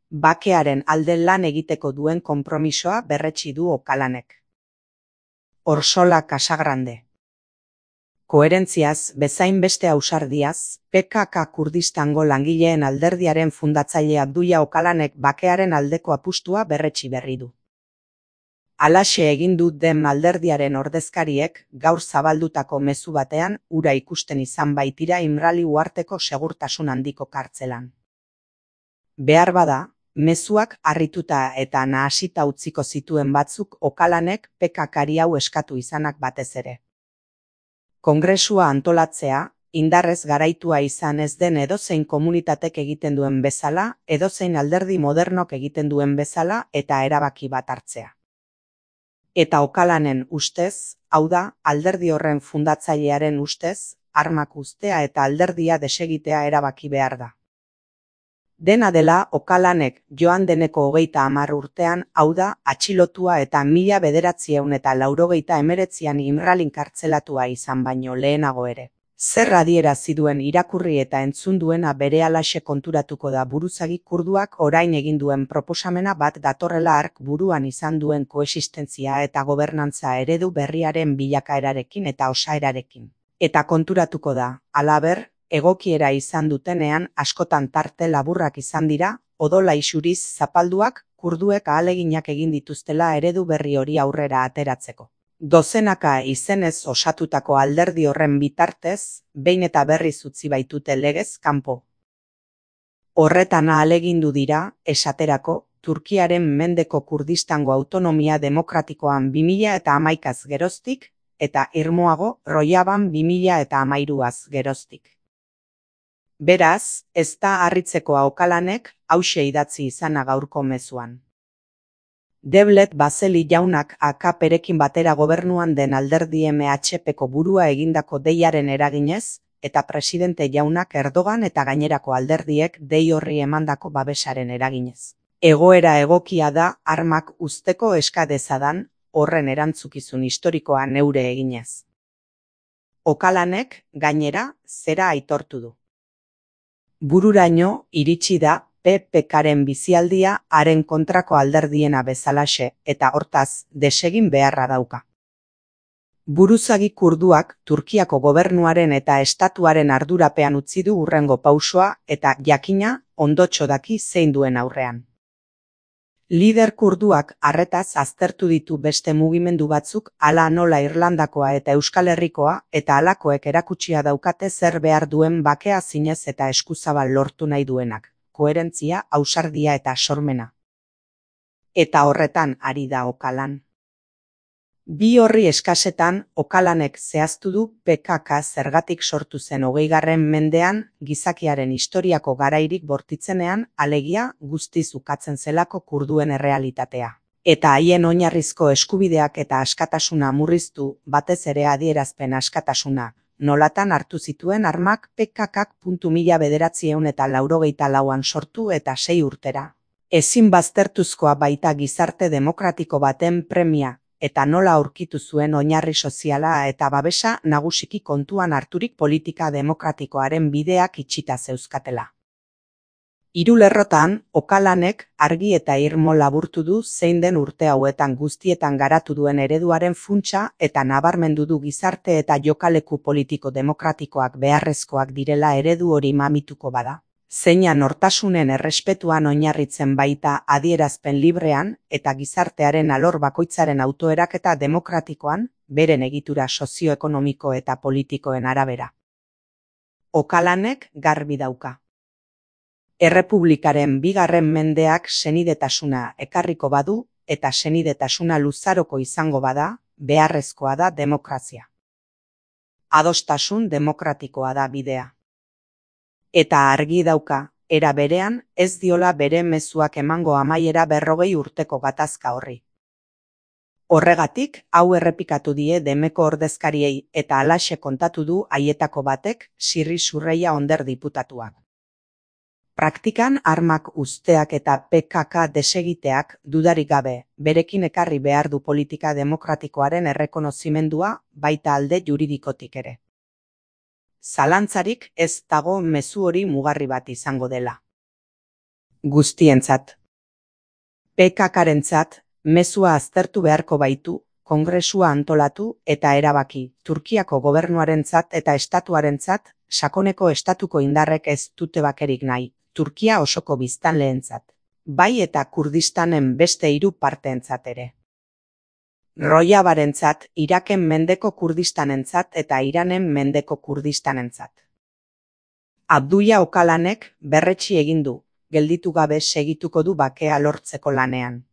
Bakearen alde lan egiteko duen konpromisoa berretsi du Okalanek. Orsola Casagrande. Koherentziaz, bezain beste ausardiaz, PKK Kurdistango langileen alderdiaren fundatzailea Abdulla Okalanek bakearen aldeko apustua berretsi berri du. Halaxe egin du DEM alderdiaren ordezkariek gaur zabaldutako mezu batean hura ikusten izan baitira Imrali uharteko segurtasun handiko kartzelan. Beharbada, mezuak harrituta eta nahasita utziko zituen batzuk Okalanek PKKari hau eskatu izanak batez ere. Kongresua antolatzea, indarrez garaitua izan ez den edozein komunitatek egiten duen bezala, edozein alderdi modernok egiten duen bezala eta erabaki bat hartzea. Eta Okalanen ustez, hau da, alderdi horren fundatzailearen ustez, armak uztea eta alderdia desegitea erabaki behar da. Dena dela, Okalanek joan deneko 30 urtean, hau da, atxilotua eta 1989an Imralin kartzelatua izan baino lehenago ere. Zer adierazi duen irakurri eta entzun duena berehalaxe konturatuko da buruzagi kurduak orain egin duen proposamena bat datorrela hark buruan izan duen koexistentzia eta gobernantza eredu berriaren bilakaerarekin eta osaerarekin. Eta konturatuko da, halaber, egokiera izan dutenean askotan tarte laburrak izan dira, odola isuriz zapalduak kurduek ahaleginak egin dituztela eredu berri hori aurrera ateratzeko. Dozenaka izenez osatutako alderdi horren bitartez, behin eta berriz utzi baitute legez kanpo. Horretan ahalegindu dira, esaterako, Turkiaren mendeko Kurdistango autonomia demokratikoan 2011az geroztik, eta irmoago Rojaban 2013az geroztik. Beraz, ez da harritzekoa Okalanek hauxe idatzi izana gaurko mezuan. Devlet Baseli jaunak AKPrekin batera gobernuan den alderdi MHPko burua egindako deiaren eraginez, eta presidente jaunak Erdogan eta gainerako alderdiek dei horri emandako babesaren eraginez. Egoera egokia da armak uzteko eska dezadan, horren erantzukizun historikoa neure eginez. Okalanek, gainera, zera aitortu du. Bururaino iritsi da PPKren bizialdia haren kontrako alderdiena bezalaxe eta hortaz desegin beharra dauka. Buruzagi kurduak Turkiako gobernuaren eta estatuaren ardurapean utzi du hurrengo pausoa eta jakina ondotxo daki zein duen aurrean. Lider kurduak arretaz aztertu ditu beste mugimendu batzuk hala nola Irlandakoa eta Euskal Herrikoa eta halakoek erakutsia daukate zer behar duen bakea zinez eta eskuzabal lortu nahi duenak, koherentzia, ausardia eta sormena. Eta horretan ari da Okalan. Bi horri eskasetan Okalanek zehaztu du PKK zergatik sortu zen 20. mendean gizakiaren historiako garairik bortitzenean alegia guztiz ukatzen zelako kurduen errealitatea. Eta haien oinarrizko eskubideak eta askatasuna murriztu batez ere adierazpen askatasuna, nolatan hartu zituen armak PKK. 1984an sortu eta 6 urtera. Ezin baztertuzkoa baita gizarte demokratiko baten premia, eta nola aurkitu zuen oinarri soziala eta babesa nagusiki kontuan harturik politika demokratikoaren bideak itxita zeuzkatela. Hiru lerrotan, Okalanek argi eta irmo laburtu du zein den urte hauetan guztietan garatu duen ereduaren funtsa eta nabarmendu du gizarte eta jokaleku politiko demokratikoak beharrezkoak direla eredu hori mamituko bada. Zeina nortasunen errespetuan oinarritzen baita adierazpen librean eta gizartearen alor bakoitzaren autoeraketa demokratikoan, beren egitura sozioekonomiko eta politikoen arabera. Okalanek garbi dauka. Errepublikaren 2. mendeak senidetasuna ekarriko badu eta senidetasuna luzaroko izango bada, beharrezkoa da demokrazia. Adostasun demokratikoa da bidea. Eta argi dauka, era berean ez diola bere mezuak emango amaiera 40 urteko gatazka horri. Horregatik, hau errepikatu die Demeko ordezkariei eta halaxe kontatu du haietako batek Sirri Surreia Onder diputatuak. Praktikan armak uzteak eta PKK desegiteak dudarik gabe, berekin ekarri behar du politika demokratikoaren errekonozimendua baita alde juridikotik ere. Zalantzarik ez dago mezu hori mugarri bat izango dela. Guztientzat. PKKrentzat, mezua aztertu beharko baitu, kongresua antolatu eta erabaki, Turkiako gobernuarentzat eta estatuarentzat, sakoneko estatuko indarrek ez dute bakerik nahi, Turkia osoko biztanleentzat, bai eta Kurdistanen beste 3 parteentzat ere. Rojabarentzat, Iraken mendeko Kurdistanentzat eta Iranen mendeko Kurdistanentzat. Abdulla Öcalanek berretsi egin du, gelditu gabe segituko du bakea lortzeko lanean.